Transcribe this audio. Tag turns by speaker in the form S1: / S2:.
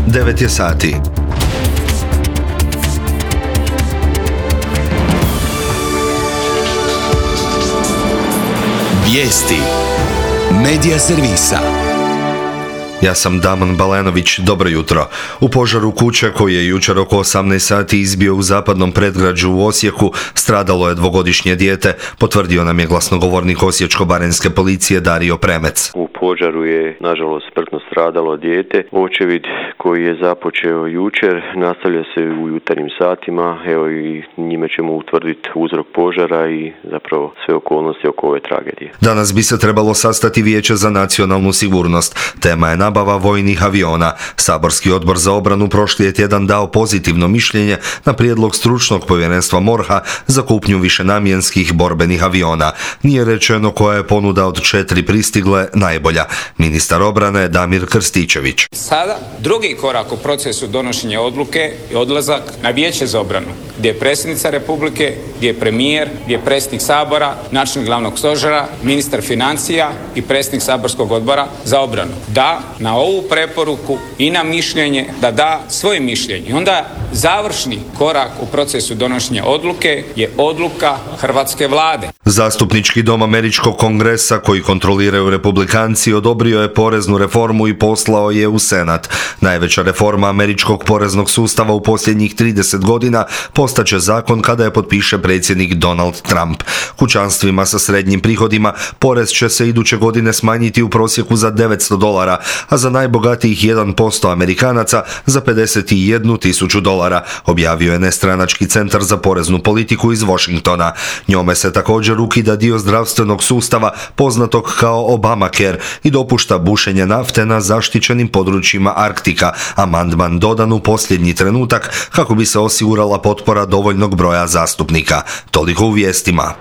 S1: 9 je sati.
S2: Vijesti Medija servisa.
S1: Ja sam Damon Balenović, dobro jutro. U požaru kuće koji je jučer oko 18 sati izbio u zapadnom predgrađu u Osijeku stradalo je dvogodišnje dijete, potvrdio nam je glasnogovornik Osječko-baranjske policije Dario Premec.
S3: U požaru je nažalost smrtno stradalo dijete. Očevid koji je započeo jučer nastavlja se u jutarnjim satima, evo i njime ćemo utvrditi uzrok požara i zapravo sve okolnosti oko ove tragedije.
S1: Danas bi se trebalo sastati Vijeće za nacionalnu sigurnost. Tema je nabava vojnih aviona. Saborski odbor za obranu prošli je tjedan dao pozitivno mišljenje na prijedlog stručnog povjerenstva MORH-a za kupnju višenamjenskih borbenih aviona. Nije rečeno koja je ponuda od 4 pristigle najbolja. Ministar obrane Damir Krstičević.
S4: Sada drugi korak u procesu donošenja odluke je odlazak na Vijeće za obranu, gdje je predsjednica Republike, gdje je premijer, gdje je predsjednik Sabora, načelnik glavnog stožera, ministar financija i predsjednik saborskog odbora za obranu. Da na ovu preporuku i na mišljenje, da da svoje mišljenje. I onda završni korak u procesu donošenja odluke je odluka hrvatske vlade.
S1: Zastupnički dom Američkog kongresa koji kontroliraju republikanci odobrio je poreznu reformu i poslao je u Senat. Najveća reforma američkog poreznog sustava u posljednjih 30 godina postaće zakon kada je potpiše predsjednik Donald Trump. Kućanstvima sa srednjim prihodima porez će se iduće godine smanjiti u prosjeku za $900, a za najbogatijih 1% Amerikanaca za $51.000, objavio je nestranački centar za poreznu politiku iz Washingtona. Njome se također ukida dio zdravstvenog sustava poznatog kao Obamacare i dopušta bušenje nafte na zaštićenim područjima Arktika, amandman dodan u posljednji trenutak kako bi se osigurala potpora dovoljnog broja zastupnika. Toliko u vijestima.